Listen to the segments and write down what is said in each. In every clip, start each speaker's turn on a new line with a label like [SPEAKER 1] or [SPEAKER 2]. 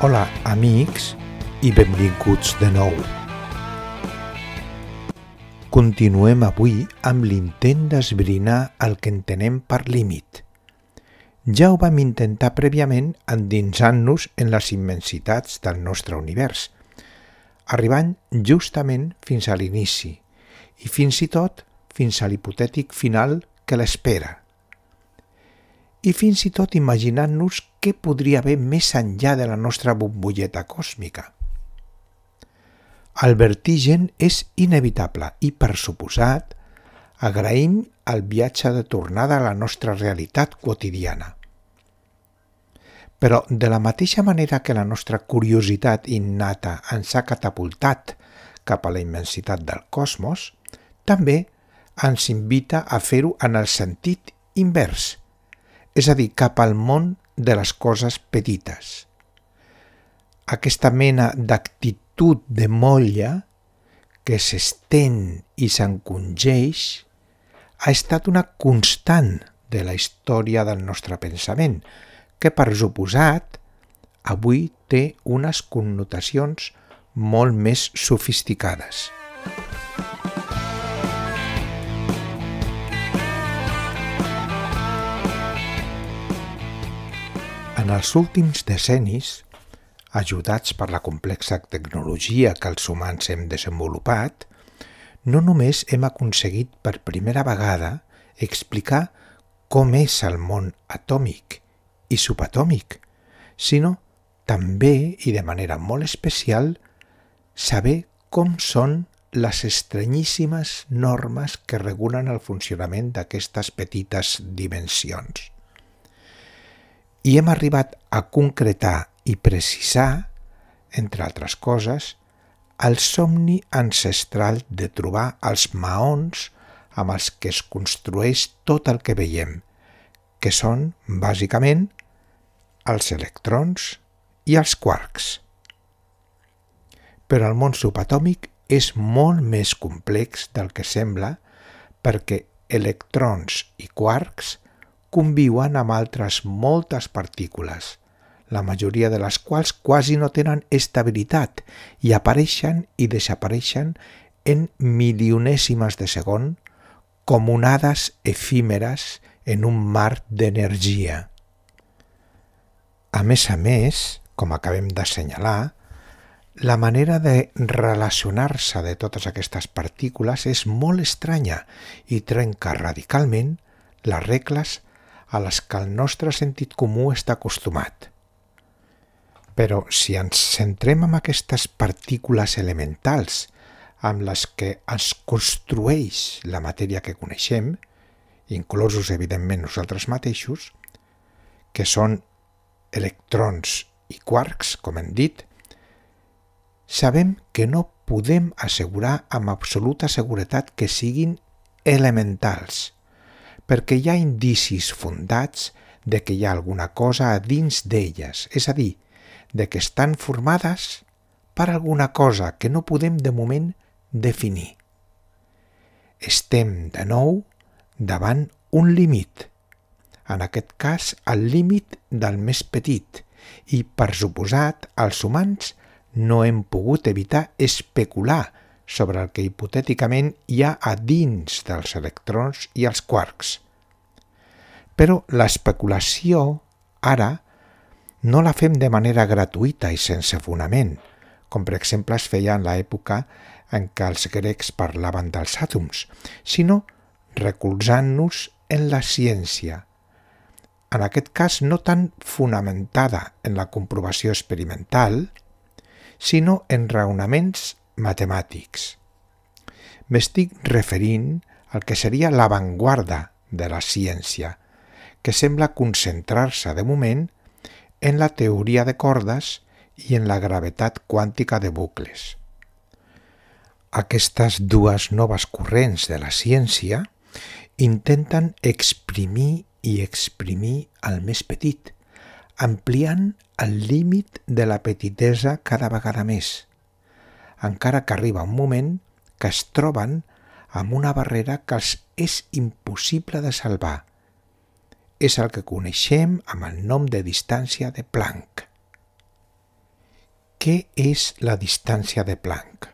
[SPEAKER 1] Hola, amics, i benvinguts de nou. Continuem avui amb l'intent d'esbrinar el que entenem per límit. Ja ho vam intentar prèviament endinsant-nos en les immensitats del nostre univers, arribant justament fins a l'inici i fins i tot fins a l'hipotètic final que l'espera. I fins i tot imaginant-nos què podria haver més enllà de la nostra bombolleta còsmica. El vertigen és inevitable i, per suposat, agraïm el viatge de tornada a la nostra realitat quotidiana. Però de la mateixa manera que la nostra curiositat innata ens ha catapultat cap a la immensitat del cosmos, també ens invita a fer-ho en el sentit invers, és a dir, cap al món de les coses petites. Aquesta mena d'actitud de molla que s'estén i s'encongeix ha estat una constant de la història del nostre pensament, que per suposat avui té unes connotacions molt més sofisticades. En els últims decennis, ajudats per la complexa tecnologia que els humans hem desenvolupat, no només hem aconseguit per primera vegada explicar com és el món atòmic i subatòmic, sinó també, i de manera molt especial, saber com són les estranyíssimes normes que regulen el funcionament d'aquestes petites dimensions. I hem arribat a concretar i precisar, entre altres coses, el somni ancestral de trobar els maons amb els que es construeix tot el que veiem, que són, bàsicament, els electrons i els quarks. Però el món subatòmic és molt més complex del que sembla perquè electrons i quarks conviuen amb altres moltes partícules, la majoria de les quals quasi no tenen estabilitat i apareixen i desapareixen en milionèsimes de segon com onades efímeres en un mar d'energia. A més, com acabem d'assenyalar, la manera de relacionar-se de totes aquestes partícules és molt estranya i trenca radicalment les regles a les que el nostre sentit comú està acostumat. Però si ens centrem en aquestes partícules elementals amb les que es construeix la matèria que coneixem, inclosos evidentment nosaltres mateixos, que són electrons i quarks, com hem dit, sabem que no podem assegurar amb absoluta seguretat que siguin elementals, perquè hi ha indicis fundats de que hi ha alguna cosa a dins d'elles, és a dir, de que estan formades per alguna cosa que no podem de moment definir. Estem, de nou, davant un límit, en aquest cas el límit del més petit, i, per suposat, els humans no hem pogut evitar especular sobre el que hipotèticament hi ha a dins dels electrons i els quarks. Però l'especulació, ara, no la fem de manera gratuïta i sense fonament, com per exemple es feia en l'època en què els grecs parlaven dels àtoms, sinó recolzant-nos en la ciència, en aquest cas no tan fonamentada en la comprovació experimental, sinó en raonaments matemàtics. M'estic referint al que seria l'avantguarda de la ciència, que sembla concentrar-se de moment en la teoria de cordes i en la gravetat quàntica de bucles. Aquestes dues noves corrents de la ciència intenten exprimir el més petit, ampliant el límit de la petitesa cada vegada més, encara que arriba un moment que es troben amb una barrera que els és impossible de salvar. És el que coneixem amb el nom de distància de Planck. què és la distància de Planck?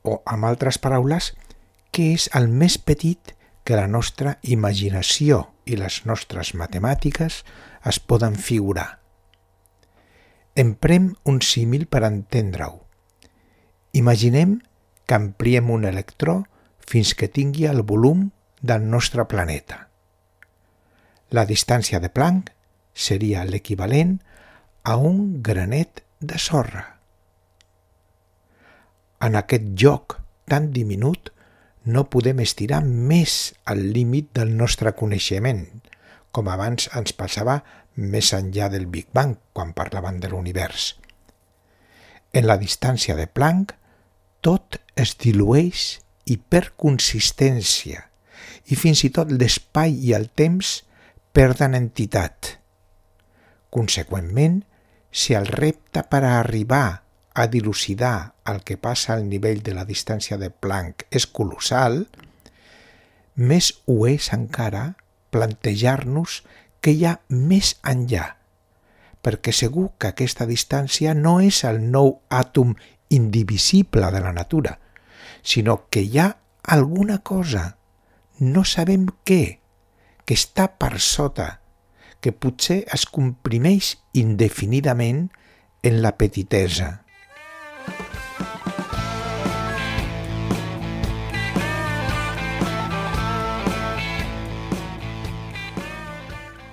[SPEAKER 1] O, amb altres paraules, què és el més petit que la nostra imaginació i les nostres matemàtiques es poden figurar? Emprem un símil per entendre-ho. Imaginem que ampliem un electró fins que tingui el volum del nostre planeta. La distància de Planck seria l'equivalent a un granet de sorra. En aquest joc tan diminut no podem estirar més el límit del nostre coneixement, com abans ens passava més enllà del Big Bang quan parlaven de l'univers. En la distància de Planck tot es dilueix i perd consistència, i fins i tot l'espai i el temps perden entitat. Conseqüentment, si el repte per a arribar a dilucidar el que passa al nivell de la distància de Planck és colossal, més ho és encara plantejar-nos què hi ha més enllà, perquè segur que aquesta distància no és el nou àtom indivisible de la natura, sinó que hi ha alguna cosa, no sabem què, que està per sota, que potser es comprimeix indefinidament en la petitesa.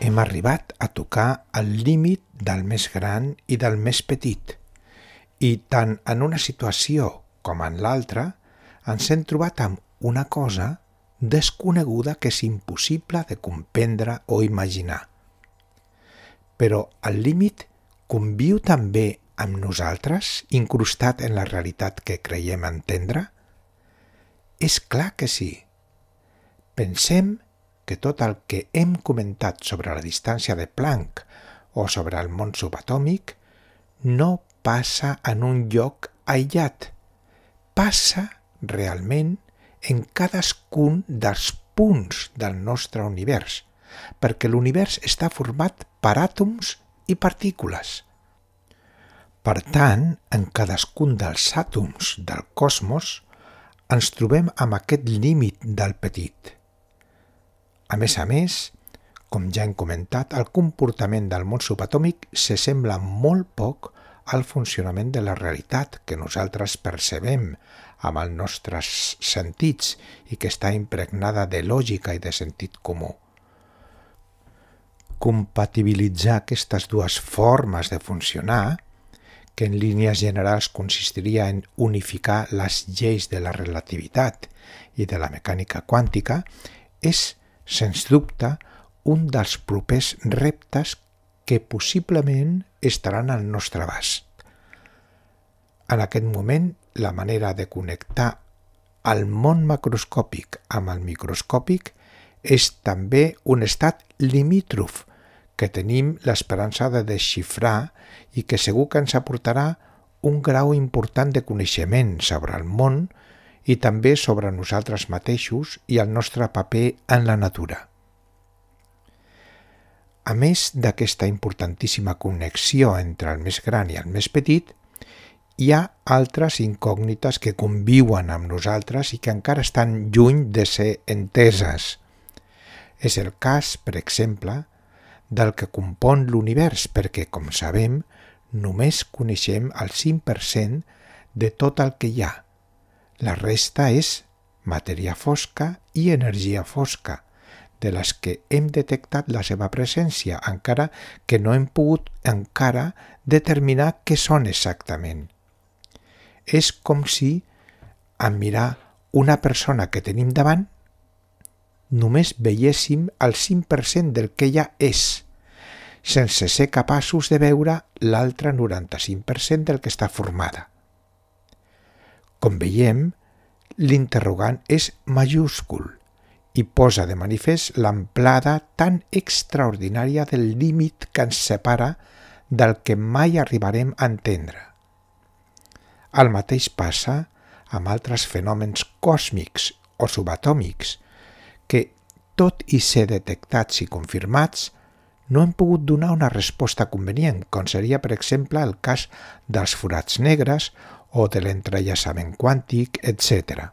[SPEAKER 1] Hem arribat a tocar el límit del més gran i del més petit, i tant en una situació com en l'altra ens hem trobat amb una cosa desconeguda que és impossible de comprendre o imaginar. Però el límit conviu també amb nosaltres, incrustat en la realitat que creiem entendre? És clar que sí. Pensem que tot el que hem comentat sobre la distància de Planck o sobre el món subatòmic no passa en un lloc aïllat, passa realment en cadascun dels punts del nostre univers, perquè l'univers està format per àtoms i partícules. Per tant, en cadascun dels àtoms del cosmos ens trobem amb aquest límit del petit. A més, com ja hem comentat, el comportament del món subatòmic s'assembla molt poc al funcionament de la realitat que nosaltres percebem amb els nostres sentits i que està impregnada de lògica i de sentit comú. Compatibilitzar aquestes dues formes de funcionar, que en línies generals consistiria en unificar les lleis de la relativitat i de la mecànica quàntica, és, sens dubte, un dels propers reptes que possiblement estaran al nostre abast. En aquest moment, la manera de connectar el món macroscòpic amb el microscòpic és també un estat limítrof que tenim l'esperança de desxifrar i que segur que ens aportarà un grau important de coneixement sobre el món i també sobre nosaltres mateixos i el nostre paper en la natura. A més d'aquesta importantíssima connexió entre el més gran i el més petit, hi ha altres incògnites que conviuen amb nosaltres i que encara estan lluny de ser enteses. És el cas, per exemple, del que compon l'univers, perquè, com sabem, només coneixem el 5% de tot el que hi ha. La resta és matèria fosca i energia fosca, de les que hem detectat la seva presència, encara que no hem pogut encara determinar què són exactament. És com si, en mirar una persona que tenim davant, només veiéssim el 5% del que ella és, sense ser capaços de veure l'altre 95% del que està formada. Com veiem, l'interrogant és majúscul i posa de manifest l'amplada tan extraordinària del límit que ens separa del que mai arribarem a entendre. El mateix passa amb altres fenòmens còsmics o subatòmics que, tot i ser detectats i confirmats, no hem pogut donar una resposta convenient, com seria, per exemple, el cas dels forats negres o de l'entrellaçament quàntic, etc.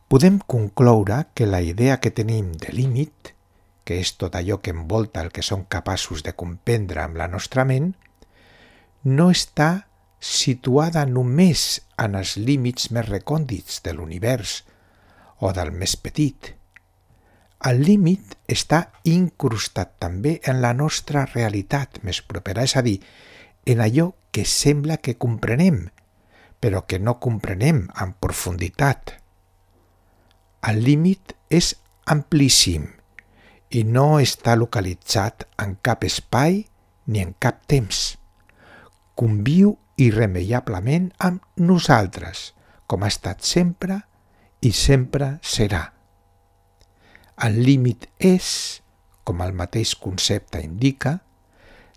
[SPEAKER 1] Podem concloure que la idea que tenim de límit, que és tot allò que envolta el que som capaços de comprendre amb la nostra ment, no està situada només en els límits més recòndits de l'univers o del més petit. El límit està incrustat també en la nostra realitat més propera, és a dir, en allò que sembla que comprenem, però que no comprenem en profunditat. El límit és amplíssim i no està localitzat en cap espai ni en cap temps. Conviu irremeiablement amb nosaltres, com ha estat sempre i sempre serà. El límit és, com el mateix concepte indica,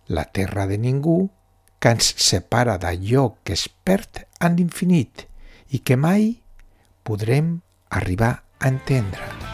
[SPEAKER 1] la terra de ningú que ens separa d'allò que es perd en l'infinit i que mai podrem arribar a entendre.